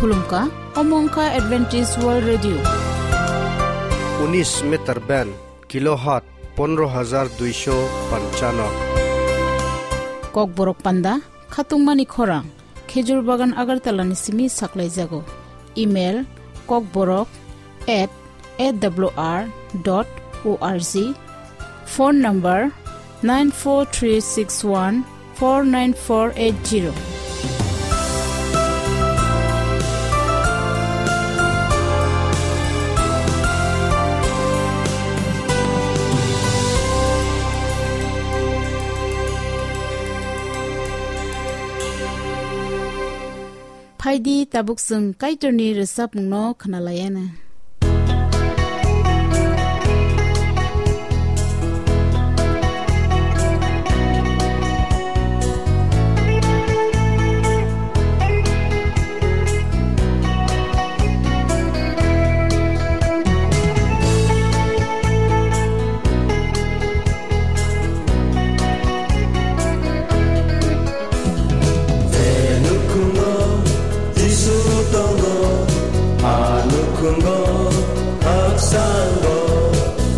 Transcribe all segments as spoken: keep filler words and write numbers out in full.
Khulumkha, omo wngkha Adventist World Radio. Unis meter band, kilohertz pondro hajar duisho panchano. Kokborok panda, khatungmani khorang, Khejur Bagan Agartala ni simi saklaijago. Email, kokborok at A W R dot O R G. Phone number nine four three six one four nine four eight zero. Phaidi tabuk chwng Kaitorni rwchapmungno khwnalaiana. Je nukhungo Jisu tongo, a nukhungo haksango,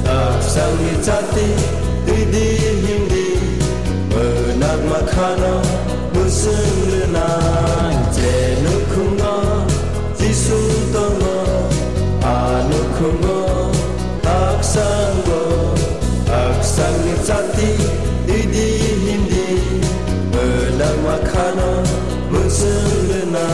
haksangni chati twidi himdi, mwnakma khano mwswng rwnai. Je nukhungo Jisu tongo, a nukhungo haksango, haksangni chati twidi himdi, mwnakma khano mwswng rwna.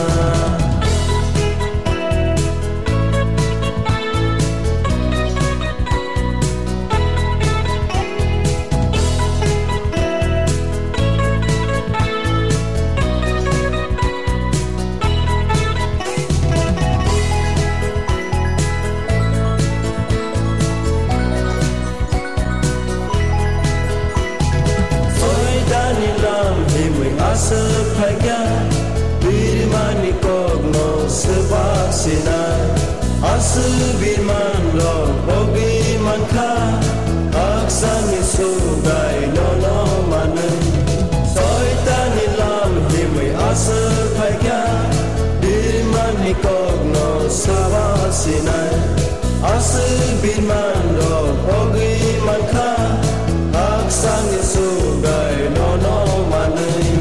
Soitani lam himwi aswk phaikha, birmani kokno swba sinai. Aswk birman rok bogwi mankha, haksani sugai nono manwi. Soitani lam himwi aswk phaikha, birmani kokno swba sinai. Aswk birman rok bogwi mankha, haksani sugai nono manwi.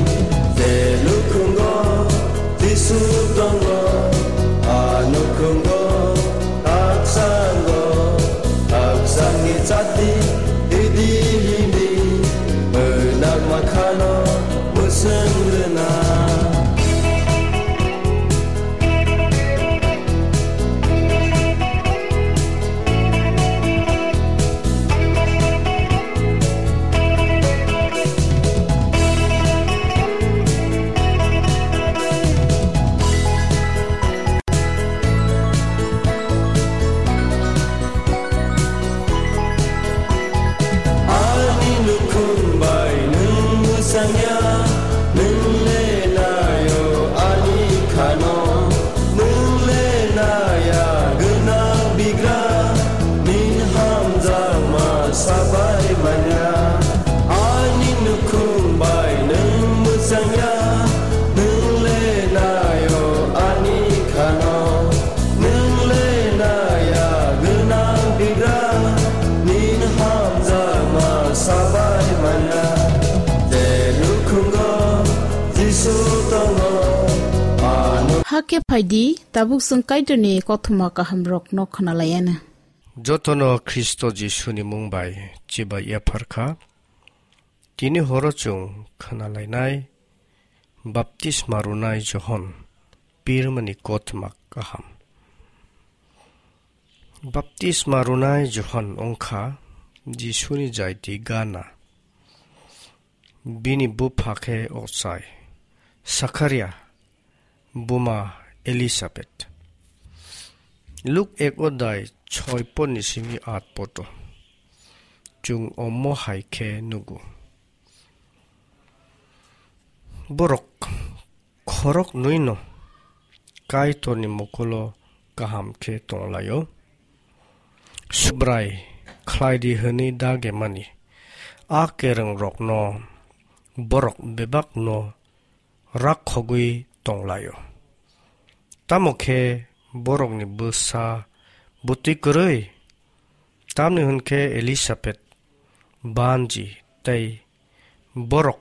Je nukhungo Jisu tongo, a nukhungo haksango, haksangni chati hidi himdi, mwnakma khano mwswng rwna. Ani nukhung bai nwng mwchangya, nwng le naio ani khano. Nwng le naya gwnang bigra, nin hamjakma sabai manya. Ani nukhung bai nwng mwchangya, nwng le naio ani khano. Nwng le naya gwnang bigra, nin hamjakma sabai manya. Je nukhungo Jisu tongo, ano. Hakhe phaidi, tabuk chwng Kaitorni kothoma kahamrokno khwnalaiana. Jotono Khristo Jisuni mung bai chibai yapharkha. Tini horo chwng khwnalainai baptisma rwnai Johon pirmani kothoma kaham. Baptisma rwnai Johon wngkha Jisuni jaiti gana. Bini bupha khe ochai Sakharia, buma Elisabet. Luk ek odai choi ponni simi at poto. Chwng omo hai khe nugo. Borok khorok nwi no Kaitorni mokulo kaham khe tonglaio. Subrai khlaidi hwnwi dage mani a kereng rokno borok bebak no rakhogwi tonglaio. Tamo khe borokni bwsa bwtwi kwrwi, tamni hwn khe Elisabet banji tei borok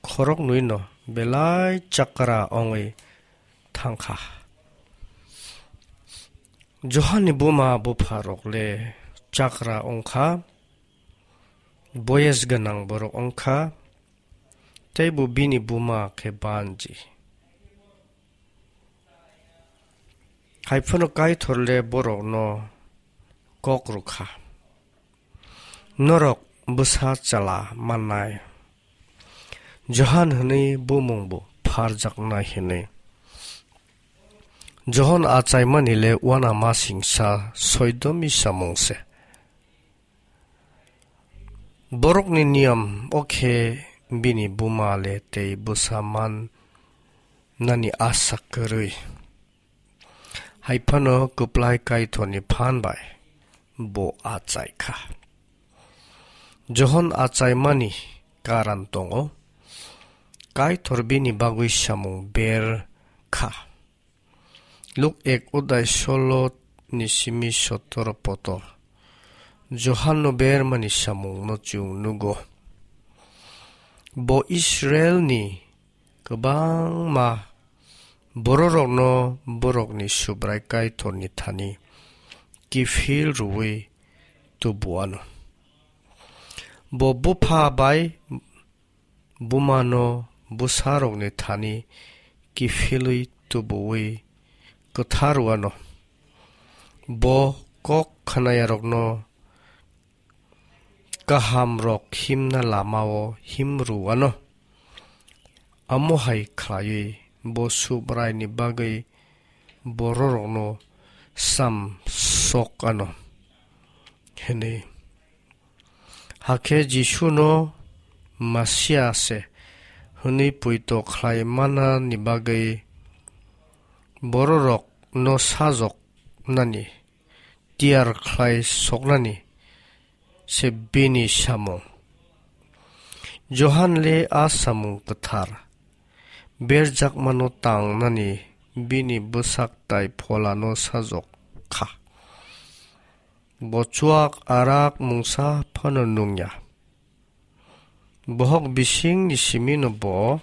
khoroknwino belai chakra wngwi thang kha. Johanni buma bupharok le chakra wng kha, boyes gwnang borok wng kha, tei bo bini buma khe banji. Hai phano Kaitor le borokno kok rw kha, "Norok bwsa chwla mannai." Johan hwnwi bumung bo pharjaknai hwnwi. Johon achaimani le uanamasingcha soidomi samung se. Borokni niyam o khe bini buma le tei bwsa man nani asa kwrwi. Hai phano kwplai Kaitorni phan bai bo achai kha. Johon achaimani karan tongo. Kaitor bini bagwi samung ber kha. Luk ek odai solo ni simi sotoro poto. Johanno bermani samungno chwng nugo. Bo Israelni kwbangma bororokno borokni Subrai Kaitorni thani kiphil rwui tubu ano. Bo bupha bai bumano bwsarokni thani kiphilwi tubuwi kwthar rwano. Bo kok khnayarokno kahamrok himna lamao him rwano. Amo hai khlaiwi bo Subraini bagwi bororokno sam sok ano hwnwi. Hakhe Jisuno Masia se hwnwi poito khlai manani bagwi bororokno sajoknani tiyar khlai soknani se bini samung. Johan le a samung kwthar berjakmano tangnani bini bwsak tai pholano sajok kha. Bo chuak arak mungsa phano nungya. Bohok bisingni simino bo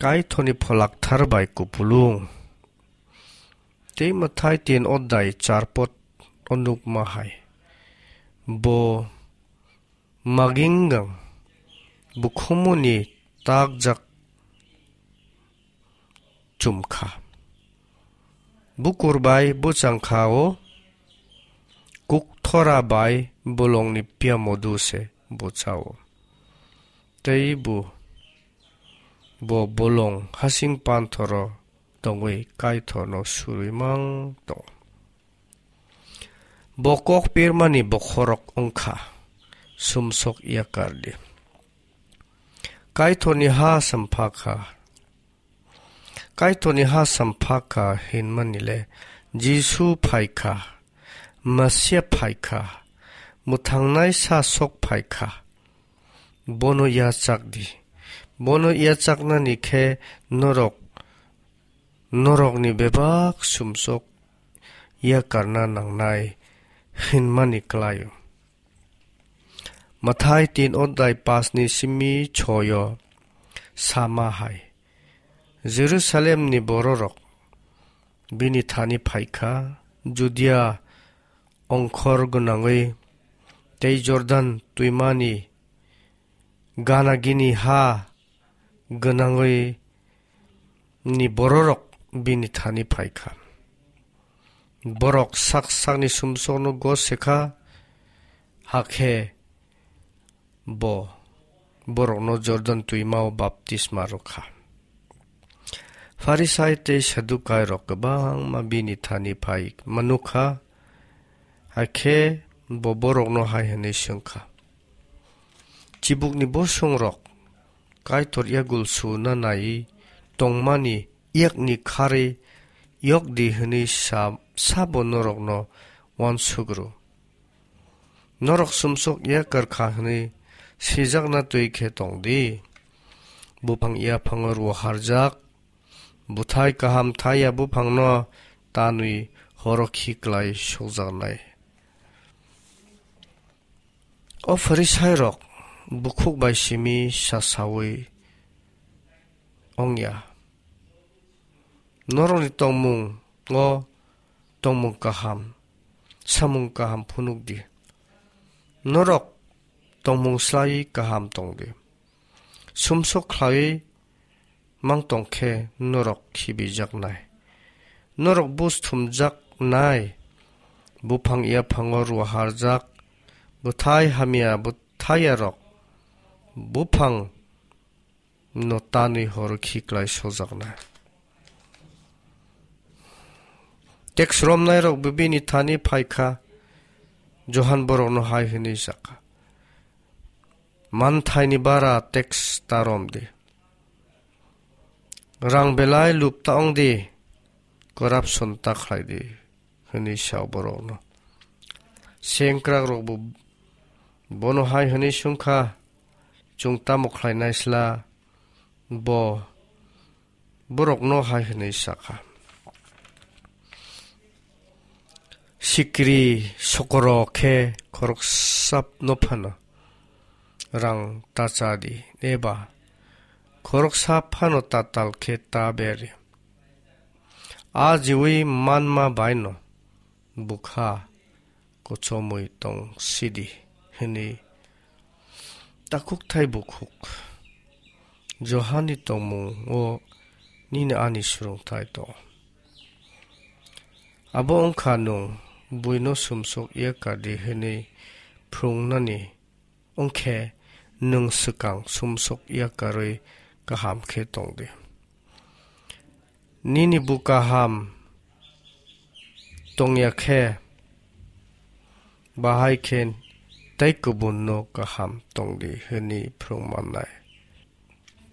Kaitorni pholakthar bai kupulung. Tei Mathai tin odai charpot o nukma hai. Bo maginggang bukhumuni takjak chum kha. Bukur bai bwchang kha o, kukthora bai bolongni piamodu se bwcha o. Tei bo, bo bolong hasing panthoro tongwi Kaitorno surwi mang tongo. Bo kok pirmani bokhorok wng kha, sumsok yakar di. Kaitorni ha sampha kha. Kaitorni ha sampha kha hinmani le Jisu phai kha, Masia phai kha, mwthangnai sa sok phai kha. Bono yachak di. Bono yachaknani khe norok, norokni bebak sumsok yakarna nangnai hinmani klai-o. Mathai tin odai pasni simi choyo sama hai. Jerusalemni bororok bini thani phaikha, Judia ongkhor gwnangwi tei Jordan twimani gana gini ha gwnangwi ni bororok bini thani phaikha. Borok sak sakni sumsokno gose kha, hakhe bo borokno Jordan twimao baptisma rwkha. Pharisai tei Sadukairok kwbangma bini thani phai manukha, hakhe bo borokno hai hwnwi swngkha, "Chibukni bosongrok Kaitor yagul suna nai tongmani yakni kharwi yok di hwnwi sa, sabo norokno uansuk rw? Norok sumsok yakar kha hwnwi sijakna twi khe tong di. Buphang yaphango rw harjak, Bwthai kaham thai ya buphangno tanwi horo khiklai sokjaknai. O Pharisairok bukhuk bai simi sasaui ongya. Norokni tongmungo tongmung kaham, samung kaham phunukdi. Norok tongmung slaiwi kaham tongdi. Sumsok khlaiwi mang tong khe norok khibijaknai. Norok bus thumjaknai, buphang yaphango ruaharjak, bwthai hamya bwthaiyarok buphang no tanwi horo khiklai sojaknai. Teks romnairok bini thani phaikha, Johan borokno hai hwnwi sakha, "Manthaini bara teks ta romdi. Rang belai lup ta ongdi, corruption ta khlaidi," hwnwi sa borokno. Sengkrakrokbo bono hai hwnwi swngkha, "Chwng tamo khlainai sla?" Bo borokno hai hwnwi sakha, "Sikri sokoro khe khoroksano phano rang ta cha di, eba khoroksa phano tatal khe ta ber di. A jiwi manma baino bwkha kochomwi tong sidi," hwnwi takhuk thai bukhuk Johani tongmungo nini ani swrwngthai tong. Abo wngkha nwng buino sumsok yakardi hwnwi phrwngnani wngkhe nwng swkang sumsok yakarwi kaham khe tongdi. Nini bu kaham tongya khe, bahai khe tei kubunno kaham tongdi hwnwi phrwngmannai.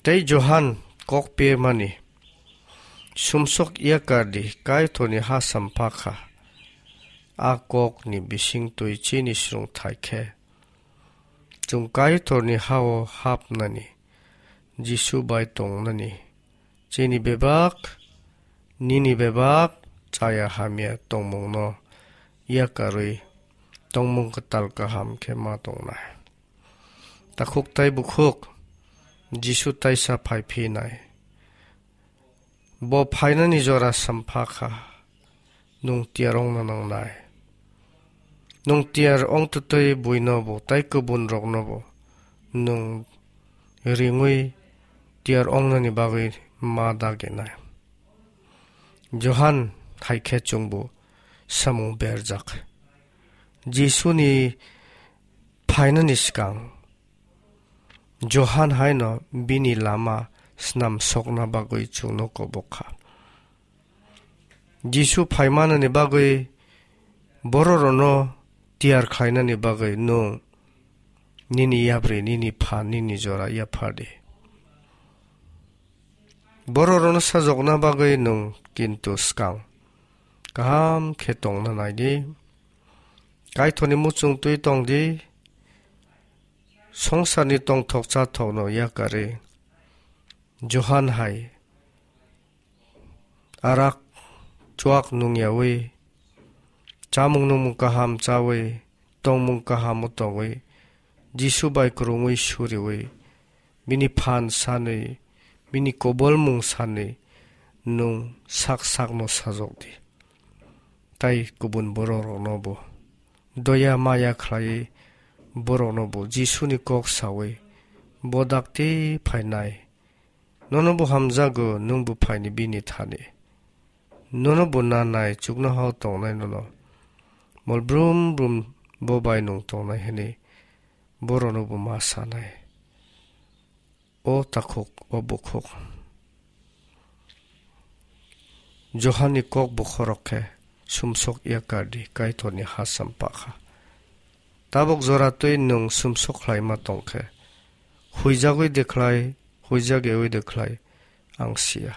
Tei Johan kok pirmani, "Sumsok yakardi, Kaitorni ha sampha kha." A kokni bisingtwi chini swrwngthai khe, chwng Kaitorni ha-o hapnani, Jisu bai tongnani, chini bebak, nini bebak chaya hamya tongmungno yakarwi tongmung kwtal kaham khe ma tongnai. Takhuk tai bukhuk Jisu taisa phai phinai. Bo phainani jora sampha kha, nwng tiyar ongna nangnai. Nwng tiyar ongtwtwi buinobo tai kubunroknobo nwng ringwi tiyar ongnani bagwi ma daginai. Johan hai khe chwngbo samung berjak. Jisuni phainani swkang Johan haino bini lama snam sokna bagwi chwngno kobok kha. Jisu phaimanani bagwi bororokno tiyar khlainani bagwi nwng nini yapri, nini pha, nini jora yaphardi. Bororokno sajokna bagwi nwng kintu swkang kaham khe tongna naidi. Kaitorni muchung twi tongdi. Songsarni tongthok chathokno yakarwi Johan hai arak chuak nungyawi, chamung nungmung kaham chawi, tongmung kahamo tongwi, Jisu bai kwrwngwi suriwi, bini phan sanwi, bini kobolmung sanwi nwng sak sakno sajokdi. Tai kubun bororoknobo doya maya khlaiwi boroknobo Jisuni kok sawi, "Bo dakti phainai, nono bo hamjago, nwng bo phaini bini thani. Nono bo nanai, chuknohao tongnai nono. Mol brum brum bo bai nwng tongnai," hwnwi borokno bo ma sanai. O takhuk, o bukhuk. Johanni kok bokhorok khe sumsok yakardi Kaitorni ha sampakha. Tabuk jora twi nwng sumsok khlaima tongkhe, huijagwi de khlai, huijak yawi de khlai, ang siya.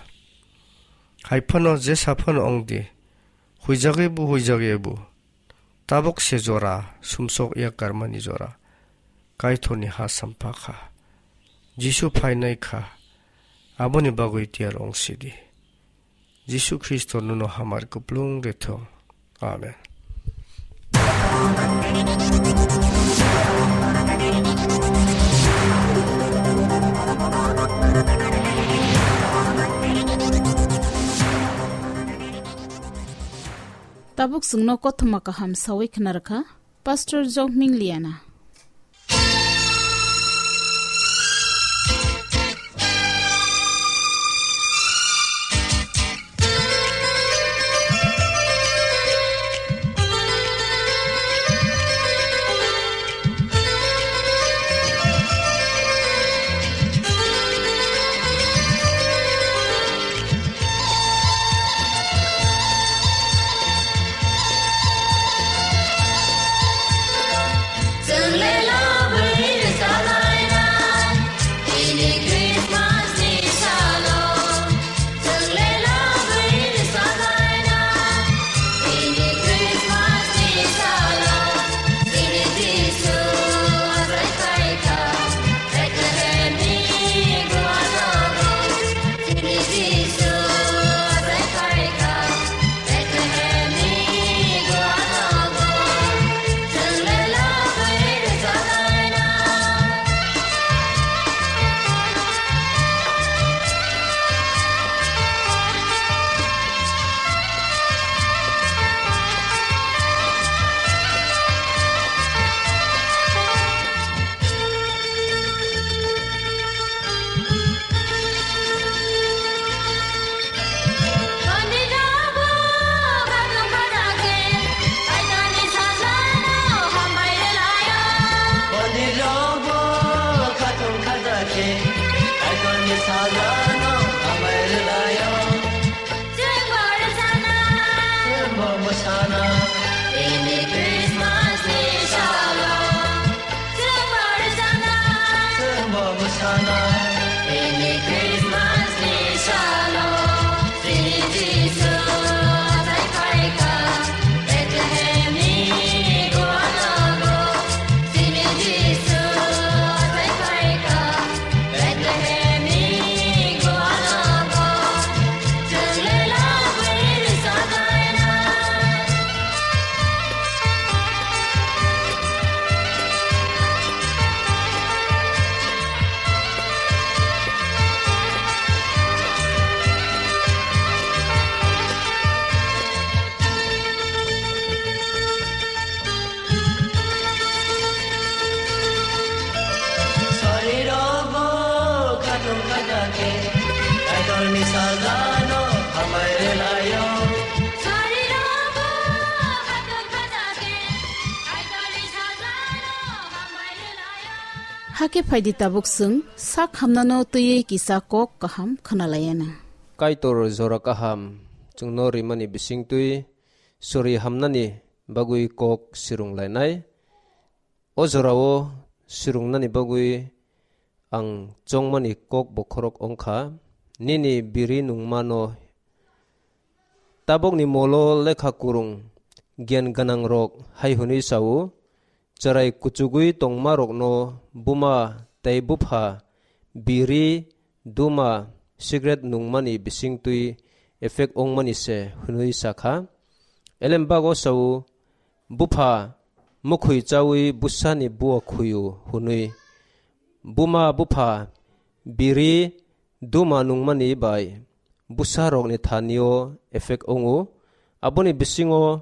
Hai phano jesa phano wng di, huijagwi bo, huijak yawi bo. Tabuk se jora, sumsok yakarmani jora, Kaitorni ha sampakha. Jisu phainai kha, aboni bagwi tiyar wng sidi. Jisu Khristo nono hamari kuplung rwthung. Amen. Tabuk chwngno kothoma kaham sawi khna rwkha Pastor Jokming Liana. Hakhe phaidi tabuk chwng sak hamnano twiwi kisa kok kaham khwnalaiyana. Kaitor jora kaham chwngno rimani bisingtwi sori hamnani bagwi kok sirung lainai. O jorao sirungnani bagwi ang chongmani kok bokhorok wngkha, nini biri nungmano. Tabukni molo lekha kwrwng giyan gwnangrok hai hwnwi sao, chwrai kuchugwi tongmarokno buma tei bupha biri duma, cigarette nungmani bisingtwi effect wngmani se hwnwi sakha. Elembak o sao, bupha mukhwi chawi bwsani bua khuyu hwnwi. Buma bupha biri duma nungmani bai bwsarokni thanio effect wngo. Aboni bisingo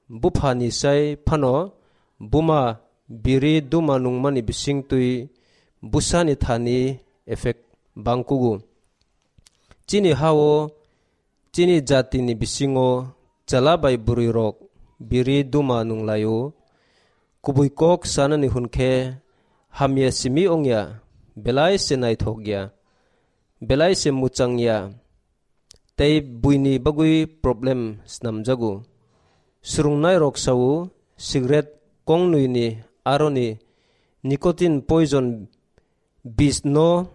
buphani sai phano buma biri duma nungmani bisingtwi bwsani thani effect bangkugo. Chini hao, chini jatini bisingo chwla bai bwrwirok biri duma nunglaio. Kubui kok sanani hwn khe hamya simi wngya, belai se naithok ya, belai se mwchang ya, tei buini bagwi problem snamjago. Swrwngnairok sao, cigarette kongnwini aroni nicotine poison bis no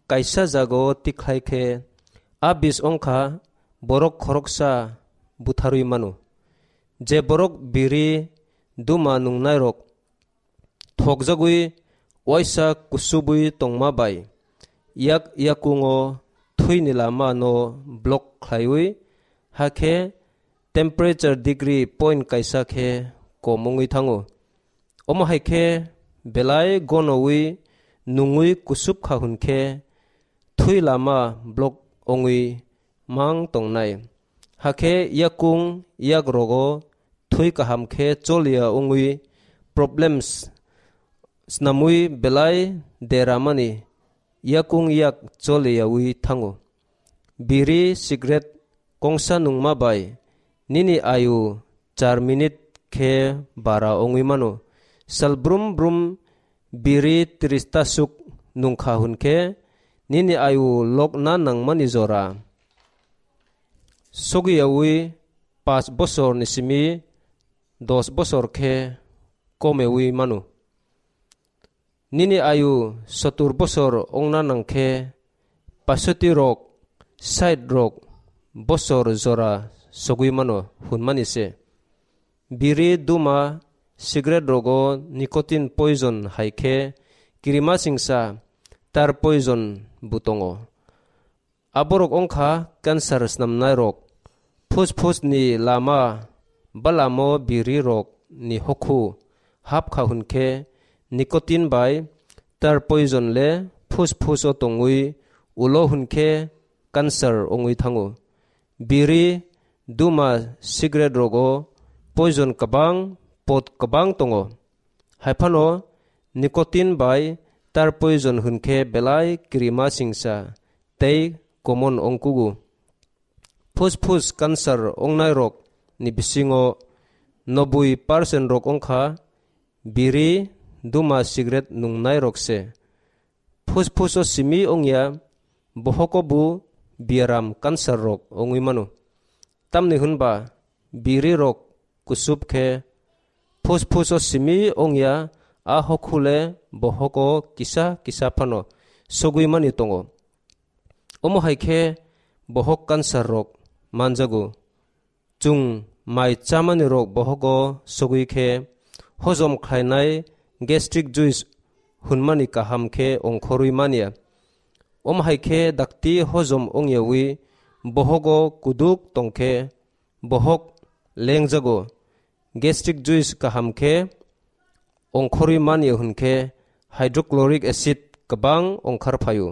kaisa jagao tikhlai khe, a bis wngkha borok khoroksa butharwi mano. Je borok biri duma nungnairok thokjagwi waisa kusubwi tongma bai yak yakungo thwini lama no block khlaiwi hakhe temperature degree point kaisa khe kom wngwi thango. Omo hai khe belai gonowi nungwi kusup kha hwn khe thwi lama block wngwi mang tongnai. Hakhe yakung yak rogo thwi kaham khe choliya wngwi problems snamwi belai deramani yakung yak choliyawi thango. Biri cigarette kongsa nungma bai nini ayu char minute khe bara wngwi mano. Sal brum brum biri tris ta suk nungkha hwn khe nini ayu lokna nangmani jora sogiyawi pash bosor ni simi dos bosor khe komewi mano. Nini ayu sotur bosor wngna nang khe pasoti rok, sait rok bosor jora sogwi mano hwnmani se. Biri, duma, cigarette rogo nicotine poison hai khe kirima singsa tar poison bo tongo. Aborok wngkha cancer snamnairok. Phusphusni lama balamo birirokni hokhu hapkha hwnkhe nicotine bai tar poison le phusphuso tongwi ulo hwnkhe cancer wngwi thango. Biri, duma, cigarette rogo poison kwbang, pot kwbang tongo. Haiphano nicotine bai tar poison hwnkhe belai kirima singsa tei common wngkugo. Phusphus cancer wngnairokni bisingo nobui percent rok wngkha biri, duma, cigarette nungnairok se. Phusphuso simi wngya bohogo bo biaram cancer rok wngwi mano. Tamni hwnba biri rok kusup khe phusphuso simi wngya, a hokhule bohogo kisa kisa phano sogwi mani tongo. Omo hai khe bohok cancer rok manjago. Chwng mai chamani rok bohogo sogwi khe hojom khlainai gastric juice hwnmani kaham khe ongkhorwi manya. Omo hai khe dakti hojom wngyawi bohogo kuduk tongkhe bohok lengjago. Gastric juice kaham khe ongkhorwi manya hwnkhe hydrochloric acid kwbang ongkhar phaio.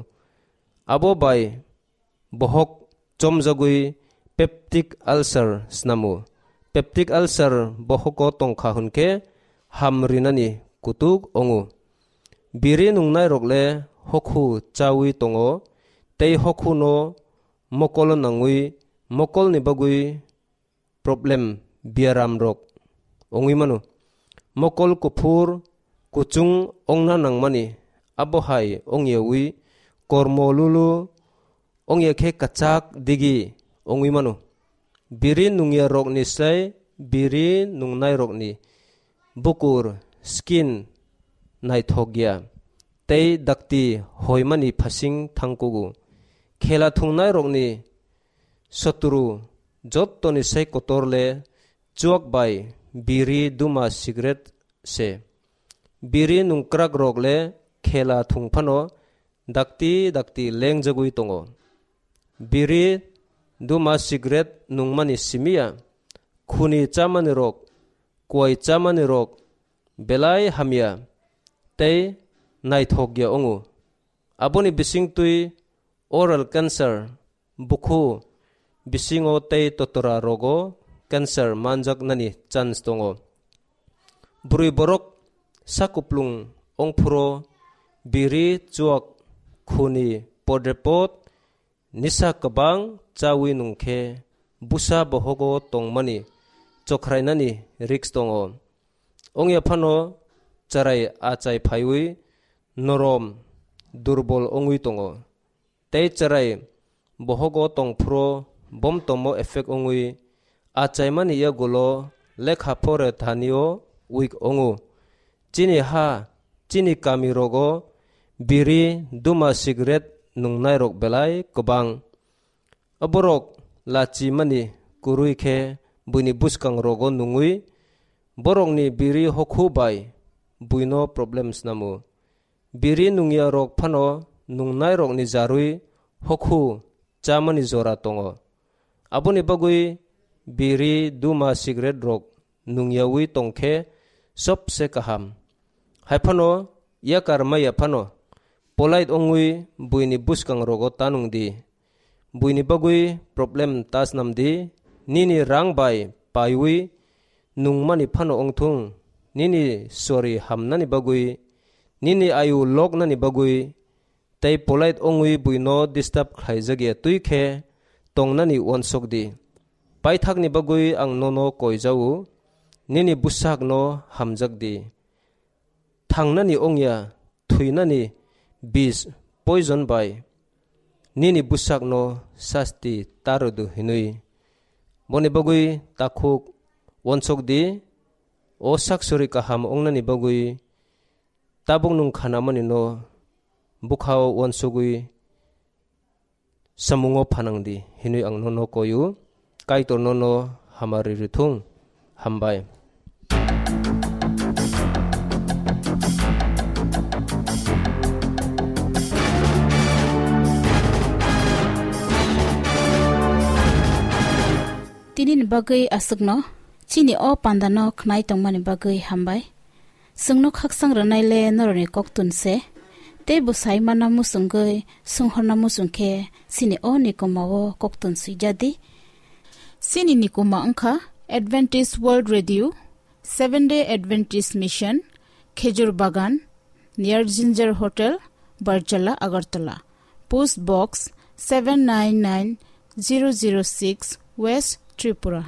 Abo bai bohok chomjagwi peptic ulcer snamo. Peptic ulcer bohogo tongkha hwnkhe ham rinani kutuk wngo. Biri nungnairok le hokhu chawi tongo, tei hokhuno mokolo nangwi mokolni bagwi problem biaram rok wngwi mano. Mokol kuphur kuchung wngna nangmani abo hai wngyawi kormo lulu wngya khe kwchak digi wngwi mano. Biri nungya rokni slai biri nungnai rokni bukur, skin, naithok ya tei dakti hoimani phasing thangkugo. Khela thungnairokni sotru jottoni sai kotor le chuak bai biri, duma, cigarette se. Biri nungkrakrok le khela thung phano dakti dakti lengjagwi tongo. Biri, duma, cigarette nungmani simi ya, khuni chamani rok, kuai chamani rok belai hamya tei naithok ya wngo. Aboni bisingtwi oral cancer, bukhu bisingo tei totora rogo cancer manjaknani chance tongo. Bwrwi borok sakuplung wngphuru biri, chuak, khuni, podrepot, nisa kwbang chawi nungkhe busa bohogo tongmani chokhrainani risk tongo. Wngya phano chwrai achai phaiwi norom, durbol wngwi tongo. Tei chwrai bohogo tongphuru bomtomo effect wngwi achaimani yagulo lekha pore thanio weak wngo. Chini ha, chini kami rogo biri, duma, cigarette nungnairok belai kwbang. Oborok lachimani kwrwi khe buini bwskang rogo nungwi borokni biri hokhu bai buino problem snamo. Biri nungya rok phano nungnairokni jarwi hokhu chamani jora tongo. Aboni bagwi biri, duma, cigarette rok nungyawi tongkhe sobse kaham. Haiphano yakar maya phano polite ongwi buini bwskang rogo tanung di. Buini bagwi problem ta snam di. Nini rang bai paiwi nungmani phano ongthung, nini sori hamnani bagwi, nini ayu loknani bagwi, tei polite ongwi buino disturb khlaijak ya twi khe tongnani uansuk di. Paithakni bagwi ang nono koi jao, nini bwsakno hamjak di. Thangnani ongya, thwinani bis, poison bai nini bwsakno sasti ta rwdu hinwi. Boni bagwi takhuk uansuk di, o sak sori kaham ongnani bagwi tabuk nwng khanamani no bwkhao uansugwi samungo phanang di hinwi ang nono koyu. Kaitor nono hamari rithung. Hambai. Tini ni bagwi aswkno, chini o panda no khnai tongmani bagwi hambai. Chwngno khaksang rwnai le norokni koktun se, tei bwsai mana muchungwi swnghorna muchung khe chini o nikoma o koktun swijak di. Chini nikoma wngkha Adventist World Radio, Seventh Day Adventist Mission, Khejur Bagan, near Ginger Hotel, Barjala, Agartala. Post Box seven nine nine zero zero six, West Tripura.